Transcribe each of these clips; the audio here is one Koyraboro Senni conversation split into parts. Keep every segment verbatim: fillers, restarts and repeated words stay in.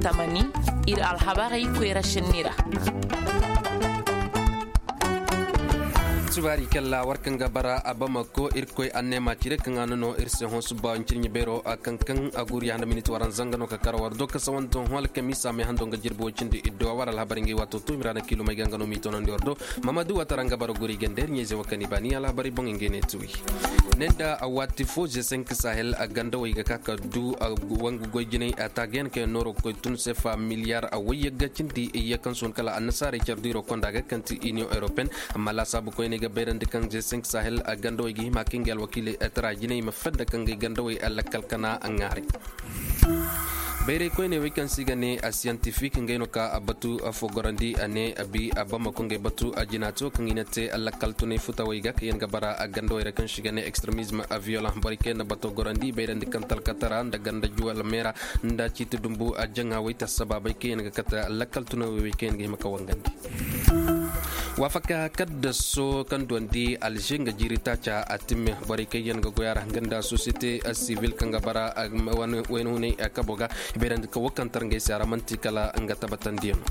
Tamani, ir alhabarey koyra sinni ra. Subaari kalla war kaŋ ga bara abamako irkoy anneema cire kaŋ a na no ir se hõ suba ncirɲi beero a kaŋ kaŋ a guri handa minit waran zanga no ka kara war do ka sawanto hõ alkamiisa me hando nga jirbi wo cindi iddo a war alhabar ngey waato to imiraana kiilumey ga nga no m'i tonandi war do. Mamadu watara nga bara guri ganda ir ɲayze wo kaŋ i baani alhabarey boŋ ngey ne tuwi. Ne nda a waati fo ze cinq sahel a gandawey ga ka ka du a wangu goy jinay a taagayaŋ kaŋ yaŋ nooro ga koy tun sefa miliyar a wayyagga cindi iyye kaŋ sohõ kala annasaarey care diiro konda ga kaŋ ti iniyoŋ europeen. Amma laasaabu koyney ga bayrandi kaŋ ze cinq sahel a gandawey ga hima kaŋ ngey alwakiiley tara jinay ma fedda kaŋ ngey gandawey a lakkal kana a ŋaaray. Bayray koyney wey kaŋ se i ga ne a siyantifik ngey no ka a batu a fo gorandi a ne a bi a bamako ngey batu a jinaati wo kaŋ i na te a lakkal tunay futawey ga kaŋ yaŋ ga bara a gandawey ra kaŋ se i ga ne ekstremizm a viyolan borey kaŋ yaŋ na bato gorandi i bayrandi kaŋ talkatara nda ganda juwal meera nda ciiti dumbu a jaŋa wey ta sabaabey kaŋ yaŋ ga kate a lakkal tunawey wey kaŋ yaŋ ga hima ka wangandi. Waafaka kaddaso kaŋ duwandi alže nga jiiri taaca a timme borey kaŋ yaŋ ga goy a ra hanga nda sosiyete sivil kaŋ ga bara wayna hunay kabo ga i bayrandi ka wo kaŋ tar ngey se a ra man'ti kala nga tabatandiyaŋo.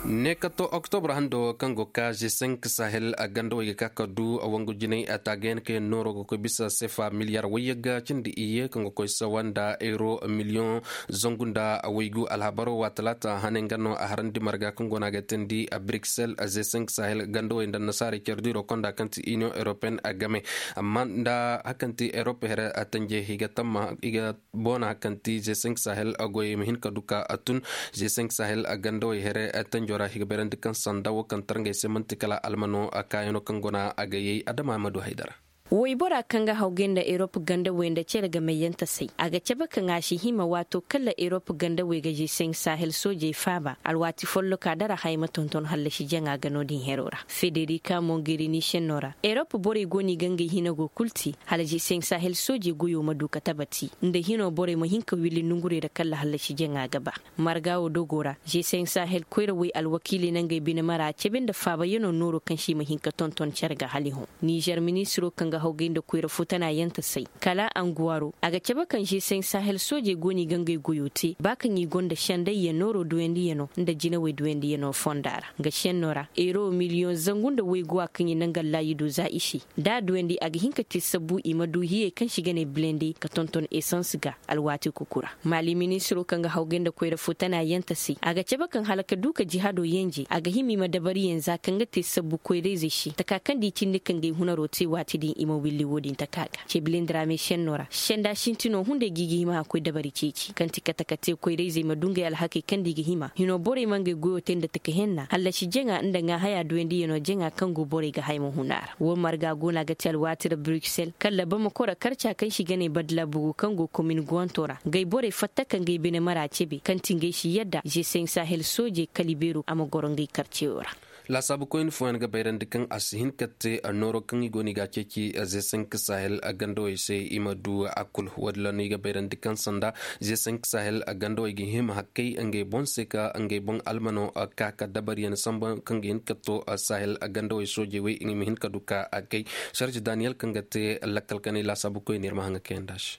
Ne ka to oktobra hando kaŋ go ka ze cinq sahel a gandawey ga ka ka du a wangu jinay a taagayaŋ kaŋ yaŋ nooro ga koy bisa sefa miliyar wayyagga cindi iyye kaŋ ga koy sawa nda euro miliyoŋ zangu nda waygu alhabaro wa talaata hane nga no a harandi marga kaŋ go no a ga teendi a bruxelles a ze cinq sahel gandawey nda annasaarey care diiro konda kaŋ ti iniyoŋ europeen a game. Amma nda hakaŋ ti europe here a tanje i ga tamma i ga boona kaŋ ti ze cinq sahel a goy ma hin ka du ka a tun ze cinq sahel a gandawey here tanjo ra i ga bayrandi kaŋ sanda wo kaŋ tar ngey se man'ti kala almano a kaayaŋo kaŋ go no a ga yay adama ma du haydara. Waybora kaŋ ga hawgay nda erop gandawey nda cere gamayyantasey a ga cabe kaŋ a si hima waato kala erop gandawey ga ze cinq sahel soojey faaba alwaati folloka dara haya ma tonton hallasi jaŋa ga no-din hero ra federika mongerini senno ra erop borey go no i ga ngey hina go kul te hala ze cinq sahel soojey goyo ma du ka tabati nda hino borey ma hin ka willi nongurey ra kala hallasi jaŋa ga ba. Marga wo dogo ra ze cinq sahel koyrawey alwakiiley na ngey bine mara cabe nda faabayaŋo nooro kaŋ se i ma hin ka tonton care ga hala i hõ. Nizer ministiro kaŋ ga hawgay nda koyra futanayantasey kala anguwaro a ga cabe kaŋ ze cinq sahel soojey go no i ga ngey goyo te ba kaŋ i gonda sendayyaŋ nooro duyandiyaŋo nda jinawey duyandiyaŋo fonda ra nga senno ra euro miliyoŋ zangu nda wayguwa kaŋ i na nga laayido za i se da a duwandi a ga hin ka te sabbu i ma du hiyey kaŋ se i ga ne bilende ka tonton esans ga. Alwaati kuku ra maali ministiro kaŋ ga hawgay nda koyra futanayantasey a ga cabe kaŋ hala ka du ka jihaado yenje a ga hima i ma dabariyaŋ za kaŋ ga te sabbu koyrayzey se taka kaŋ da i cindi ka ngey hunaro te waati din i ma willi wo-din taka ga cebilindi ra me senno ra senda sintino hunday ga i ga hima a koy dabari ceeci kaŋ ti kate ka te koyrayzey ma du ngey alhakey kaŋ da i ga hima hino borey ma ngey goyo te nda taka henna hallasi jaŋa nda ŋaahaya duyandiyaŋo jaŋa kaŋ go borey ga haya ma huna ra wo marga go no a ga te alwaati ra bruksel kala bamako ra karca kaŋ se i ga ne badla bugu kaŋ go komin guwanto ra ngey borey fatta ka ngey bine mara cebe kaŋ ti ngey si yadda ze cinq sahel soojey kala i beeru a ma goro ngey karceyo ra. Laasaabu koyne fooyaŋ ga bayrandi kaŋ a si hin ka te nooro kaŋ i go no i ga a ceeci ze cinq sahel gandawey se i ma du a kul wo- din ra no i ga bayrandi kaŋ sanda ze cinq sahel gandawey ga hima hakkey ngey boŋ se ka ngey boŋ almano ka ka dabariyaŋ samba kaŋ ga hin ka to sahel gandawey soojey wey i ma hin ka du ka a kay. Sarji daniyel kaŋ ga te lakkal kanay laasaabu koyne ir ma haŋa kayanda se.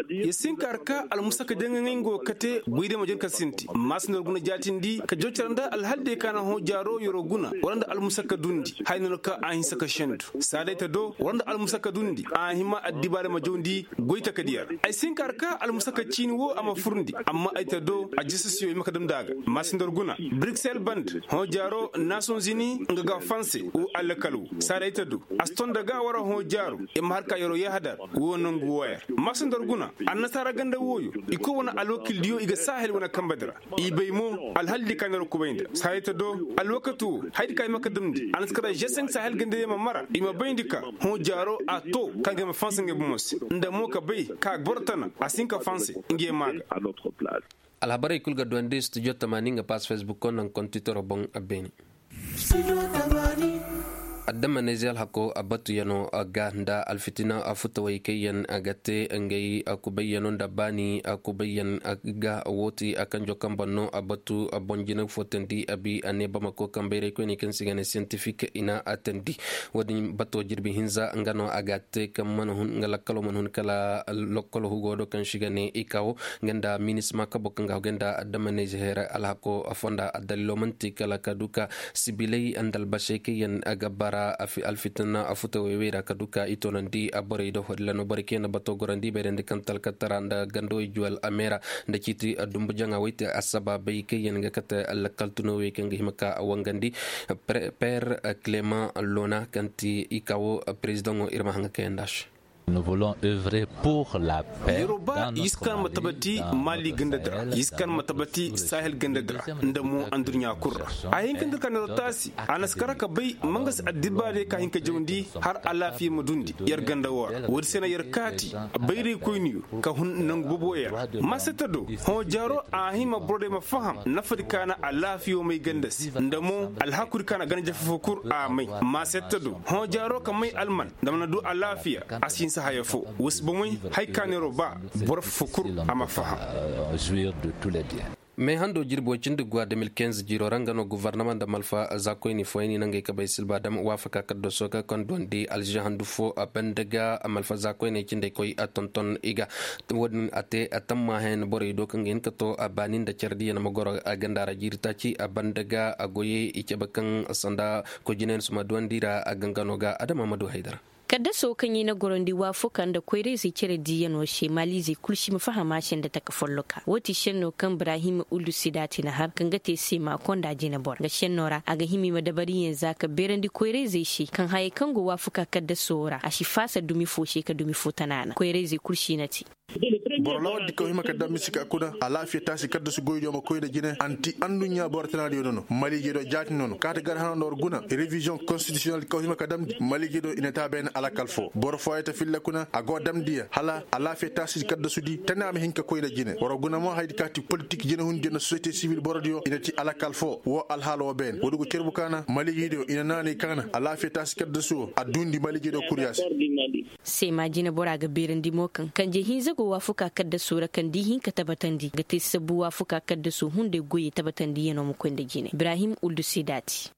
Yer si hin ka har ka almusaka jaŋa nga nga wo kate goydey ma jor ka sinti maasindor guna jaatindi ka jor care nda alhaldey ka na hõ jaaro yeroo guna wala nda almusaka dundi haya no ka a hinsa ka sendu saa day ta do wala nda almusaka dundi a hima addibaarey ma jawndi goy takadiya ra ay si hin ka har ka almusaka ciini wo a ma furndi amma ay ta do a jasasiyo i ma ka damndi a ga maasindor guna bruksel band hõ jaaro nason zini nga ga fanse wo allakal wo saa day ta do a si ton nda ga war hõ jaaro i ma har ka yeroo yaahadar wo nangu wooyar maasindor guna annasaara ganda wooyo i koy wane alwakildiyo i ga saahel wane kambadi ra i bay mo alhaldi ka na ra kubay nda saa day ta do alwakati wo hayadi ka i ma ka damndi a na si kata jesenk saahel gandadiyo ma mara i ma bayndi ka hõ jaaro a to ka ngey ma fanse ngey bomo se nda mo ka bay ka boro tana a si hin ka fanse ngey maa ga. Alhabarey kul ga duwandi studio tamaani nga pass facebook ko naŋ kontitoro boŋ a beene. Damanayze alhako a batuyanoo ga nda alfitina a futawey kaŋ yaŋ a ga te ngey a kubayyano nda baani a kubayyan ga woo ti a kanjo kaŋ boŋ no a batu a boŋ jina footandi a bi a ne bamako kaŋ bayray koyney kaŋ se i ga ne siyantifik i na a tandi. Wo-din bato jirbi hinza nga no a ga a te kaŋ mana hun nga lakkaloo mana hun kala lakkalo hugo do kaŋ se i ga ne i kawo nga nda minisma kabo kaŋ ga hogay nda damanayze heera alhako fonda addalilo man'ti kala ka du ka sibiley nda albasey kaŋ yaŋ ga bara alfitina a futawey wey ra ka du ka i toonandi borey do hodila no borey kaŋ yaŋ na bato gorandi bayrandi kaŋ talkatara nda gandawey juwal a meera nda ciiti dumbu jaŋa wey te assabaabey kaŋ yaŋ ga kate lakkaltunawey kaŋ ga hima ka wangandi. Peer clement lona kaŋ ti i kawo perezidaŋo ir ma haŋ ga kayandi a se. Yeroo ba i si kaŋ ma tabati mali ganda dira i si kaŋ ma tabati sahel ganda dira nda mo anduɲɲa kul ra. A hin ka nda ka neero taasi a na si kar ka bay ma nga si addibbaarey ka hin ka jawndi har alaafiya ma dundi yer ganda woo ra woodi se na yer kaati. Bayraykoyniyo ka hun nangu boboya ra maasetta do hõ jaaro a hima borey ma faham nafadi ka na alaafiyo may ganda se nda mo alhakudi ka na ganda jafa fo kul a may. Maasetta do hõ jaaro ka may alman nda mana du alaafiya a si hinsa haya fo. Wa si bomey hay ka neero ba boro fo kul a ma faham. Mee hando jirbi way cindi guwa deux mille quinze jiiro ra nga no gofornama nda malfa zaakoyni fooyaŋ i na ngey kabay silba dam waafaka kaddaso ga kaŋ duwandi alzize handu fo a banda ga malfa zaakoyney cindey koy a tonton i ga. Wo-din a te a tammahayan borey do kaŋ ga hin ka to a baani nda care diyaŋ ma goro a ganda ra jiiri taaci a banda ga a goyey i cabe kaŋ sanda koy jinayaŋ suma duwandi ra a gangano ga adama ma du haydara. Kaddaso kaŋ i na gorandi waafuka nda koyrayzey cere diiyanoo se maaliizey kul si ma faham a se nda taka folloka woo ti šenno kaŋ ibrahim uldu sidaati na har kaŋ ga te seema konda jinebora nga šenno ra a ga hima i ma dabariyaŋ za ka beerandi koyrayzey se kaŋ hayey kaŋ go waafuka kaddaso ra a si faasa dumi fo se ka dumi fo tana na koyrayzey kul si na te. Boro laawal di kaŋ hima ka dam misi ka kuna alaafiya taasi kaddasu goydiyo ma koy nda jine anti anduɲɲa boro tanaadiyo nono maliije do jaati nono kaati gar hano nda war guna reviziyoŋ konstitisiyonel kaŋ hima ka damndi maliije do i na te a bayna alakal fo boro fooyey ta filla kuna a go damndi ya hala alaafiya taasi kaddasudi tana ma hin ka koy nda jine war guna mo haydi kaati politik jinehundiyo nda sosiyete sibil borodiyo i na ti alakal fo woo alhaala woo bayna woodi go cerbu kaana maliije diyo i na naanay kaana alaafiya taasi kaddasu woo a duundi maliije diyo kuriya se. Seema jinebora ga beerandi mo kaŋ kanje hinza go waafuka kaddaso ra kaŋ da i hin ka tabatandi ga te sabbu waafuka kaddaso hunday goyey tabatandiyanoo ma koy nda jine ibrahim uldu sidaati.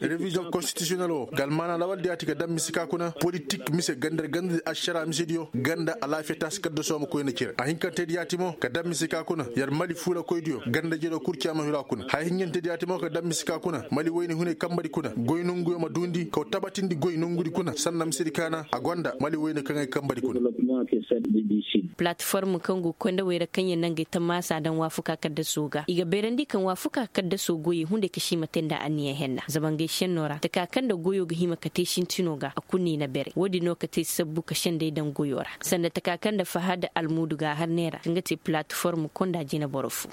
Reviziyoŋ konstitisiyonel woo ga almaana lawaldiyaati ga dam mise ka kuna politik mise ganda nda ganda ašara misediyo ganda alaafiya taasi kaddaso ma koy nda cere a hinkantediyaati mo ga dam mise ka kuna yer mali fuulakoydiyo ganda jero kurciya ma hiro a kuna haya hinjantediyaati mo ga dam mise ka kuna mali wayne hunay kambadi kuna goy nonguyo ma duundi kaw tabatindi goy nongudi kuna sanna misedi kaana a gonda mali wayne kaŋ ay kambadi kuna. Platform kaŋ go koy nda wayra kaŋ yaŋ nangey tammaasa daŋ waafuka kaddaso ga i ga bayrandi kaŋ waafuka kaddaso goyey hunday ka si ma te nda anniya henna zama ngey senno ra taka kaŋ nda goyo ga hima ka te sintino ga a kulu no i na beray woodin no ka te sabbu ka senday daŋ goyo ra sanda taka kaŋ nda fahad almuudu ga a har neera kaŋ ga te platform konda jineboro fo.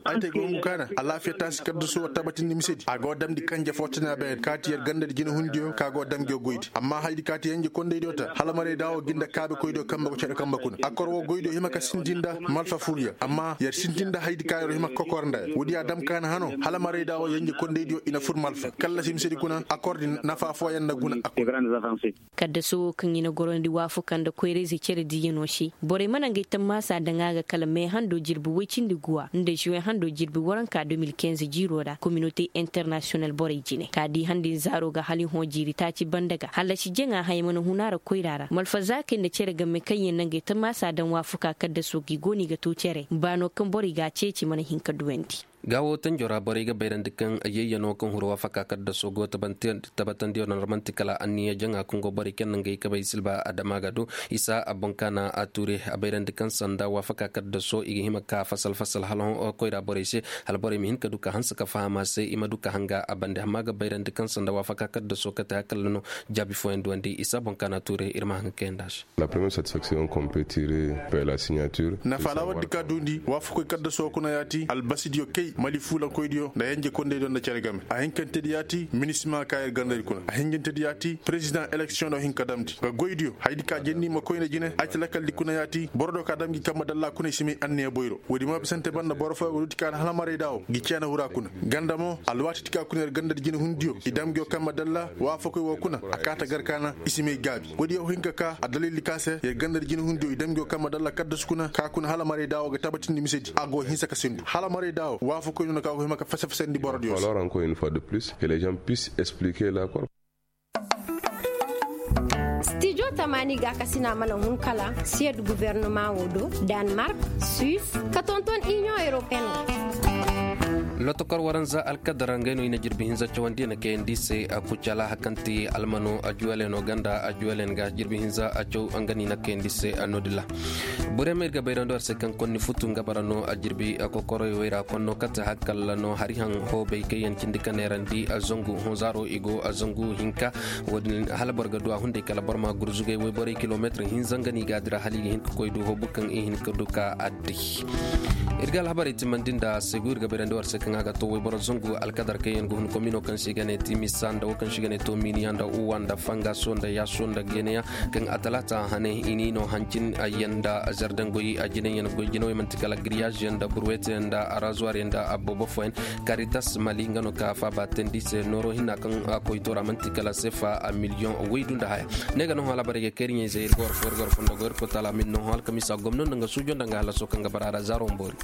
Ay te gongu kaana alaafiya taasi kaddaso tabatindi misedi a go damndi kanje fo tana beer kaati yer ganda nda jinehundiyo ka go dam ngiyo goydi amma haydi kaati yenje kondaydiyo ta hala maray da wo ginda kaabekoydiyo kambe go cere kambe kuna akor wo goydiyo hima ka sintin nda malfa furyaŋ amma yer sintin nda haydi ka yer hima ka kokor nda ya woodi ya dam kaana hano hala maray da wo yenje kondaydiyo i na fur malfa kallasi misedi kuna akor din nafa fooyaŋ na guna a kuna. Kaddaso wo kaŋ i na gorandi waafuka nda koyrayzey cere diiyanoo se borey mana ngey tammaasa daŋ a ga kala mee hando jirbi woy cindi guwa nda zuwe hando jirbi waranka deux mille quinze jiiroo ra kominote internasiyonal borey jine ka di handi nzaaroo ga hala i hõ jiiri taaci banda ga hallasi jaŋa haya mana hun a ra koyra ra malfazaakey nda cere game kaŋ yaŋ na ngey tammaasa daŋ waafuka kaddaso ga i go no i ga to cere baanoo kaŋ borey ga a ceeci mana hin ka duwandi. Gaawo tanjo ra borey ga bayrandi kaŋ yayyanoo kaŋ huru waafaka kaddaso go tabatandiyo ra man'ti kala anniya jaŋa kaŋ go borey kaŋ na ngey kabay silba adama ga do isa a boŋ kaana a tuure a bayrandi kaŋ sanda waafaka kaddaso i ga hima ka fasal fasal hala koyra borey se hala borey ma hin ka du ka hanse ka faham a se i ma du ka hanga a bande amma ga bayrandi kaŋ sanda waafaka kaddaso kate hakalla no jaabi fooyaŋ duwandi isa boŋ kaana tuure ir ma hanga kayandi a se. Nafa alaawardi ka duundi waafakoy kaddaso kuna yaati albasidiyo kay. Mali fuulankoydiyo nda yenje kondeydiyo nda cere game a hinkantedi yaati minisima ka yer gandadi kuna a hinjintedi yaati perezidaŋ eleksiyoŋ do hin ka damndi nga goydiyo hayadi ka jendi ma koyne jine ay ti lakaldi kuna yaati boro do ka dam gi kamma dalla kuna i si may anniya boyro woodi ma bisante banda boro fooyaŋ go duuti ka na halamarayda wo gi ceena hura kuna ganda mo alwaatidi ka kuna yer gandadi jine hundiyo i dam gi wo kamma dalla waafakoy wo kuna a kaata gar ka na i si may gaabi woodi yaw hin ka ka addalildi ka se yer gandadi jine hundiyo i dam gi wo kamma dalla kaddasu kuna ka kuna halamarayda wo ga tabatindi misedi a go hinsa ka sindu halamarayda wo waafakoy no na ka go hima ka fese-fesandi borodiyo se. Stijo tamaani ga kasina mana hun kala siyad guvernoma wo do, danmark, suis, ka tonton inion europeen wo. Lotokor waranza alkadara ngay no i na jirbi hinza cawandi na kayandi se a kucala hakanti almano a juwaleno ganda a juwalen ga jirbi hinza a caw nga ni na kayandi se a nodila. Borey ma ir ga bayrandi war se kaŋ konni futu nga bara no a jirbi a kokoroy wayra konno kate hakkalla no hari haŋ hoobay kaŋ yaŋ cindi ka neerandi a zangu honzaaro i go a zangu hinka. Wo-din hala boro ga du a hunday kala boro ma gurzugay wayborey kilometir hinza nga no i ga dira hala i ga hin ka koy du hoobu kaŋ i hin ka du ka adday. Ir ga alhabarey timandi nda segu ir ga bayrandi war se kaŋ a ga to wayboro zangu alkadar kaŋ yaŋ ga hun komino kaŋ se i ga ne timisa nda wo kaŋ se i ga ne tominiya nda uwa nda fangaso nda yaaso nda geneya. Kaŋ a talaata hane i ni no hancin yaŋ nda zardangoy a jinay yaŋ goy jinawey manti kala giriyaz yaŋ nda burwete yaŋ nda arazuwar yaŋ nda aboobo fooyaŋ. Karitas mali nga no ka faaba teendi se nooro hinna kaŋ a koy toora manti kala sefa a miliyoŋ waydu nda haya. Ne ga no halabarey ga kayri ɲayzey ir ga war fo ir ga war fondo go ir kotala min no halkamisa gomno nda nga suujo nda nga halaso kaŋ ga bara a ra zaaro mboori.